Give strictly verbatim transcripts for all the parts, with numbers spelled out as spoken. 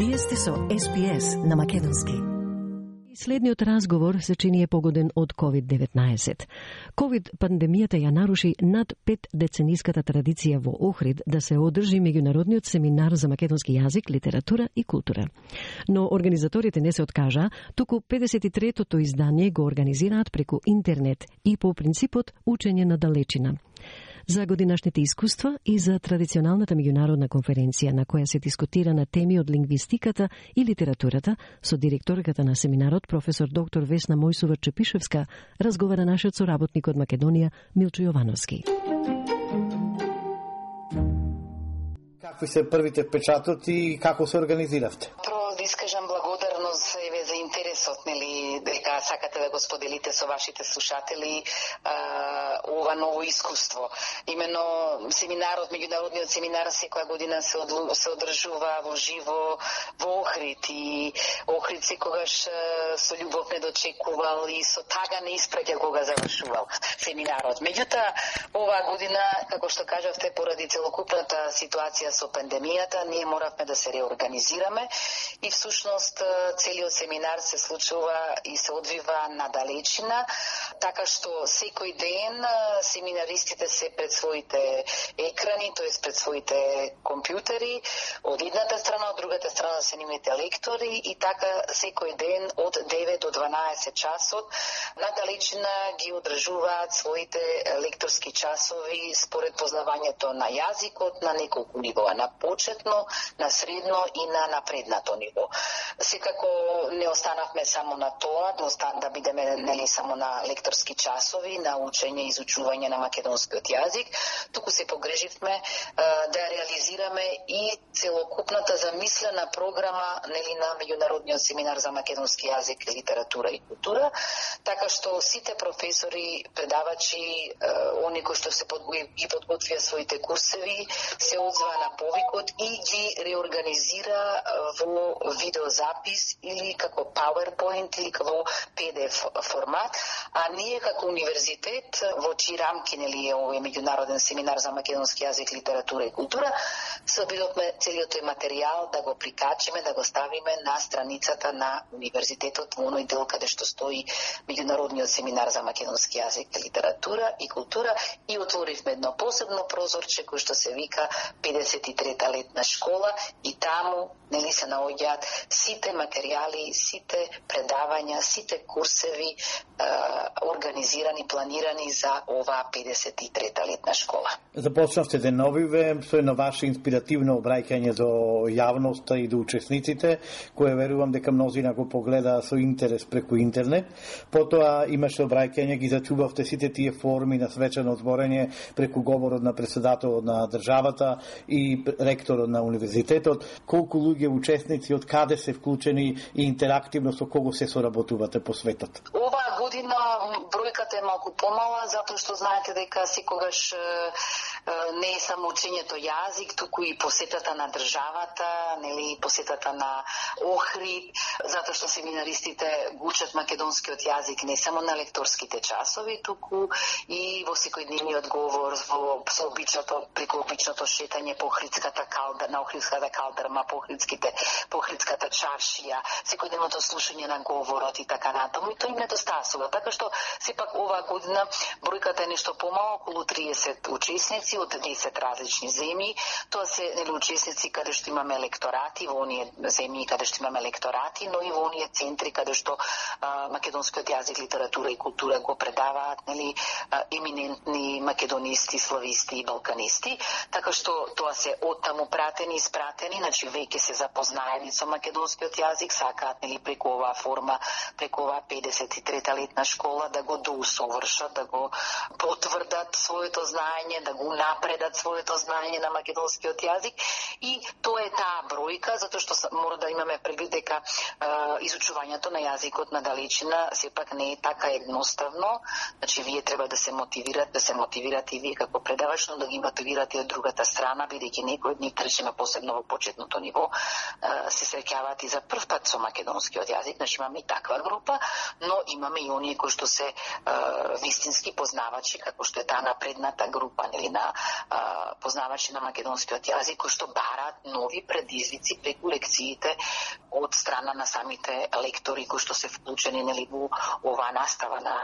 Вие сте со Ес Би Ес на македонски. Следниот разговор се чини е погоден од ковид деветнаесет. Ковид пандемијата ја наруши над пет децениската традиција во Охрид да се одржи меѓународниот семинар за македонски јазик, литература и култура. Но организаторите не се откажа, туку педесет и третото издание го организираат преку интернет и по принципот учење на далечина. За годинашните искуства и за традиционалната меѓународна конференција на која се дискутира на теми од лингвистиката и литературата, со директорката на семинарот, професор доктор Весна Мојсова-Чепишевска, разговара нашиот соработник од Македонија, Милчо Јовановски. Какви се првите впечатоци и како се организиравте? Прво да искажам благодарност еве за интересот, нели, дека сакате да го споделите со вашите слушатели а, ова ново искуство. Имено семинарот, меѓународниот семинар секоја година се, од, се одржува во живо во Охрид и Охрид секогаш со љубов не дочекувал и со тага не испраќа кога завршувал семинарот. Меѓутоа, оваа година, како што кажавте, поради целокупната ситуација со пандемијата, ние моравме да се реорганизираме и всушност целиот семинар се случува и се одвива на далечина, така што секој ден семинаристите се пред своите екрани, тоест пред своите компјутери, од едната страна, од другата страна се нивните лектори и така секој ден од девет до дванаесет часот на далечина ги одржуваат своите лекторски часови според познавањето на јазикот на неколку нивоа, на почетно, на средно и на напреднато ниво. Секако не останавме само на тоа, да, остан, да бидеме нели само на лекторски часови, на учење и изучување на македонскиот јазик, туку се погреживме е, да реализираме и целокупната замислена програма нели на меѓународниот семинар за македонски јазик, литература и култура, така што сите професори, предавачи, е, они кои што се подготвија ги подготвија своите курсеви, се одзваа на повикот и ги реорганизира во видеозапис или како PowerPoint или како Пи Ди Еф формат, а ние како универзитет во чии рамки нели е овој меѓународен семинар за македонски јазик, литература и култура, се обидовме целиот тој материјал да го прикачиме, да го ставиме на страницата на универзитетот во оној дел каде што стои меѓународниот семинар за македонски јазик, литература и култура и отворивме едно посебно прозорче кој што се вика педесет и трета летна школа и таму нели се наоѓаат сите материјали, сите предавања, сите курсеви е, организирани, планирани за оваа педесет и трета летна школа. Започнавте деновиве со едно ваше инспиративно обраќање до јавноста и до учесниците, кое верувам дека мнозина го погледа со интерес преку интернет. Потоа имаше обраќање, ги зачувавте сите тие форми на свечено зборење преку говорот на председателот на државата и ректорот на универзитетот. Колку луѓе учесници, од каде се вклучени и интерактивно со кого се соработувате по светот? Оваа година бројката е малку помала, затоа што знаете дека секогаш не е само учењето јазик, туку и посетата на државата, нели посетата на Охрид, затоа што семинаристите го учат македонскиот јазик не само на лекторските часови, туку и во секојдневниот говор, во со обичното, преку обичното шетање по Охридската калдерма, на Охридската калдерма, по Охридските, по Охридската чаршија, секојдневното слушање на говорот и така натаму, и тоа им недостасува. Така што сепак оваа година бројката е нешто помало, околу триесет учесници од десет различни земји. Тоа се нели учесници каде што имаме лекторати во оние земји каде што имаме лекторати, но и во оние центри каде што а, македонскиот јазик, литература и култура го предаваат нели а, еминентни македонисти, слависти и балканисти. Така што тоа се оттаму пратени, испратени, значи веќе се запознаени со македонскиот јазик, сакаат нели преку оваа форма, преку оваа педесет и трета летна школа да го доусовршат, да го потврдат своето знаење, да го напредат своето знаење на македонскиот јазик и тоа е таа бројка, затоа што мора да имаме предвид дека е, изучувањето на јазикот на далечина сепак не е така едноставно, значи вие треба да се мотивирате, да се мотивирате и вие како предавач, но да ги мотивирате од другата страна, бидејќи некои од нив, речеме посебно во почетното ниво, се среќаваат и за прв пат со македонскиот јазик, значи имаме и таква група, но имаме имаме и оние кои што се е, вистински познавачи, како што е таа напредната група или на е, познавачи на македонскиот јазик, кои што бараат нови предизвици преку лекциите од страна на самите лектори кои што се вклучени нели во оваа настава на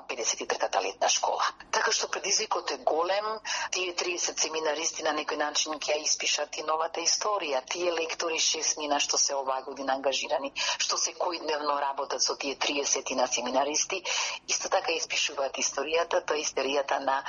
педесет и третата летна школа. Така што предизвикот е голем, тие триесет семинаристи на некој начин ќе испишат и новата историја. Тие лектори шестмина што се оваа година ангажирани, што секојдневно работат со тие триесет на семинаристи, исто така испишуваат историјата, тоа е историјата на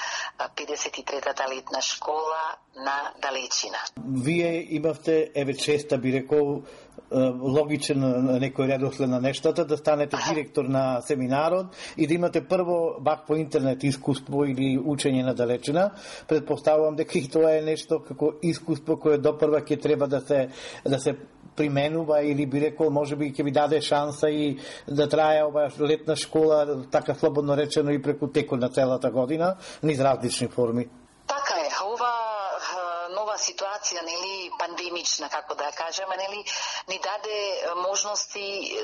педесет и третата летна школа на Далечина. Вие имавте, еве честа би рекол, логичен некој редослед на нештата, да станете директор на семинарот и да имате прво бак по интернет искуство или учење на далечина. Предпоставувам дека и тоа е нешто како искуство кое допрва ќе треба да се да се применува или би рекол можеби ќе ви даде шанса и да трае ова летна школа така слободно речено и преку текот на целата година низ различни форми. Така е, ова нова ситуација, нели, пандемична, како да кажеме, нели, ни даде можности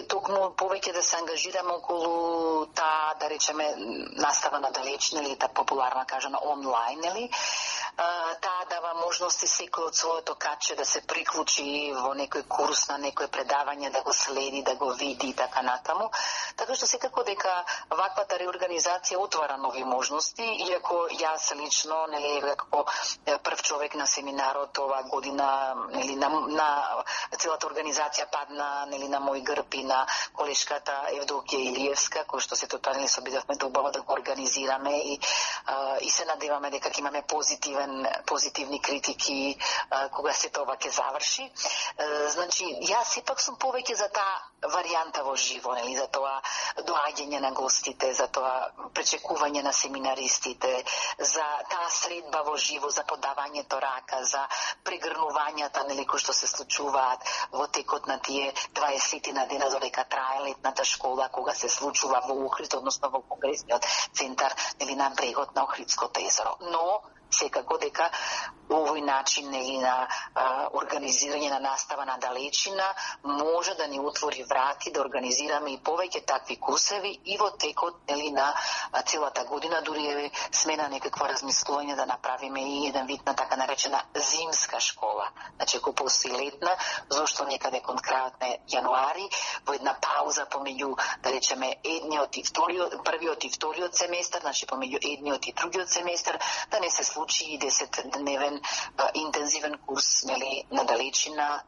токму повеќе да се ангажираме околу таа, да речеме, настава на далечна или таа популарна кажана онлайн, нели. Таа дава можности секој од своето каче да се приклучи во некој курс, на некој предавање, да го следи, да го види и така натаму. Така што секако дека ваквата реорганизација отвара нови можности, иако јас лично, нели, како прв човек на семинарот оваа година, нели, на, на целата организација падна, нели, на мој грб и на колешката Евдокија Илиевска, кој што се тотални се обидовме да убаво да го организираме и, а, и се надеваме дека ќе имаме позитивен, позитивни критики а, кога се тоа ќе заврши. А, значи, јас сепак сум повеќе за таа варијанта во живо, нели, за тоа доаѓање на гостите, за тоа пречекување на семинаристите, за таа средба во живо, за подавањето рака, за прегрнувањата, нели, кои што се случуваат во текот на тие дваесет на дена додека трае летната школа, кога се случува во Охрид, односно во конгресниот центар, нели, на брегот на Охридското езеро. Но секако дека овој начин, нели, на а, организирање на настава на далечина може да ни отвори врати да организираме и повеќе такви курсеви и во текот, нели, на а, целата година, дури е сме на некакво размислување да направиме и еден вид на така наречена зимска школа. Значи, ако постои летна, зошто некаде кон крајот на јануари, во една пауза помеѓу, да речеме, едниот и вториот, првиот и вториот семестар, значи помеѓу едниот и другиот семестар, да не се случи и десетдневен а, интензивен курс, нели, на далечина,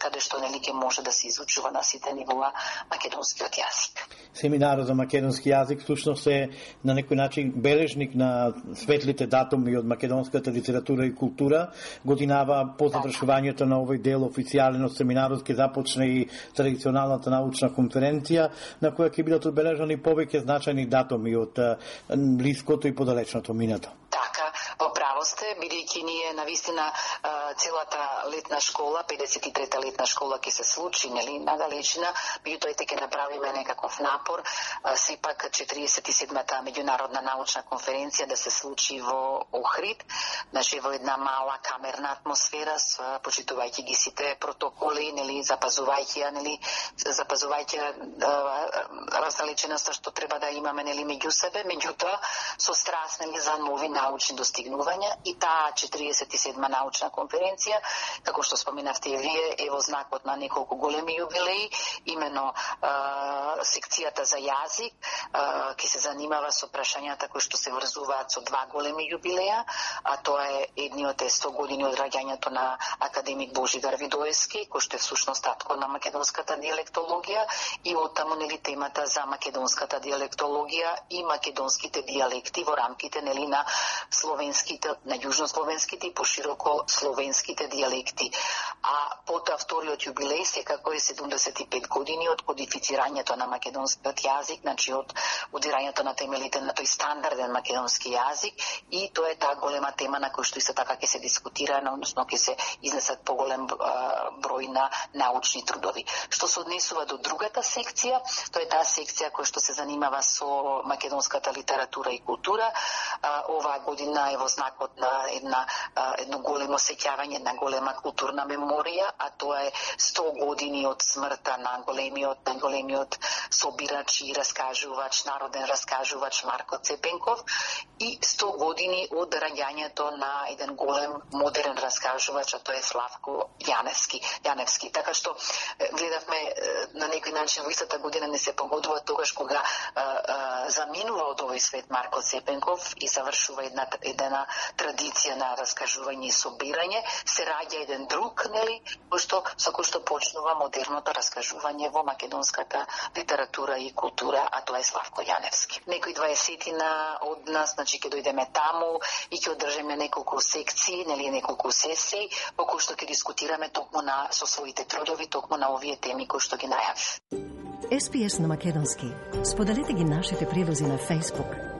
каде што, нели, ќе може да се изучува на сите нивоа македонскиот јазик. Семинарот за македонски јазик всушност е на некој начин бележник на светлите датуми од македонската литература и култура. Годинава по завршувањето на овој дел официјален од семинарот ќе започне и традиционалната научна конференција на која ќе бидат одбележани повеќе значајни датуми од блиското и подалечното минато. Така, во право сте, бидејќи ние навистина целата летна школа, педесет и трета летна школа ќе се случи, нели, на далечина, меѓутоа ќе направиме некаков напор, сепак четириесет и седмата меѓународна научна конференција да се случи во Охрид, значи во една мала камерна атмосфера, почитувајќи ги сите протоколи, нели, запазувајќи ја, нели, запазувајќи раздалеченоста што треба да имаме, нели, меѓу себе, меѓутоа со страст, нели, за нови научни достигнувања и таа четириесет и седма научна конференција, како што споменавте и вие, е во знакот на неколку големи јубилеи, имено а, секцијата за јазик ќе се занимава со прашањата кои што се врзуваат со два големи јубилеја, а тоа е едниот е сто години од раѓањето на академик Божидар Видоевски, кој што е всушност татко на македонската диалектологија, и оттаму, нели, темата за македонската диалектологија и македонските дијалекти во рамките, нели, на словенските, на јужнословенските и пошироко словенските дијалекти. А потоа вториот јубилеј секако е седумдесет и пет години од кодифицирањето на македонскиот јазик, значи од удирањето на темелите на тој стандарден македонски јазик, и тоа е таа голема тема на која што исто така ќе се дискутира, односно ќе се изнесат поголем број на научни трудови. Што се однесува до другата секција, тоа е таа секција која што се занимава со македонската литература и култура. Оваа година е во во знакот на една едно големо сеќавање, една голема културна меморија, а тоа е сто години од смртта на големиот, на големиот собирач и раскажувач, народен раскажувач Марко Цепенков и сто години од раѓањето на еден голем модерен раскажувач, а тоа е Славко Јаневски. Јаневски. Така што гледавме на некој начин во истата година не се погодува тогаш кога а, а, заминува од овој свет Марко Цепенков и завршува една една традиција на раскажување и собирање, се раѓа еден друг, нели, кој што со кој што почнува модерното раскажување во македонската литература и култура, а тоа е Славко Јаневски. Некои дваесетина од нас, значи ќе дојдеме таму и ќе одржиме неколку секции, нели, неколку сесии, во кои што ќе дискутираме токму на со своите трудови, токму на овие теми кои што ги најавив. Ес Би Ес на македонски. Споделете ги нашите прилози на Facebook,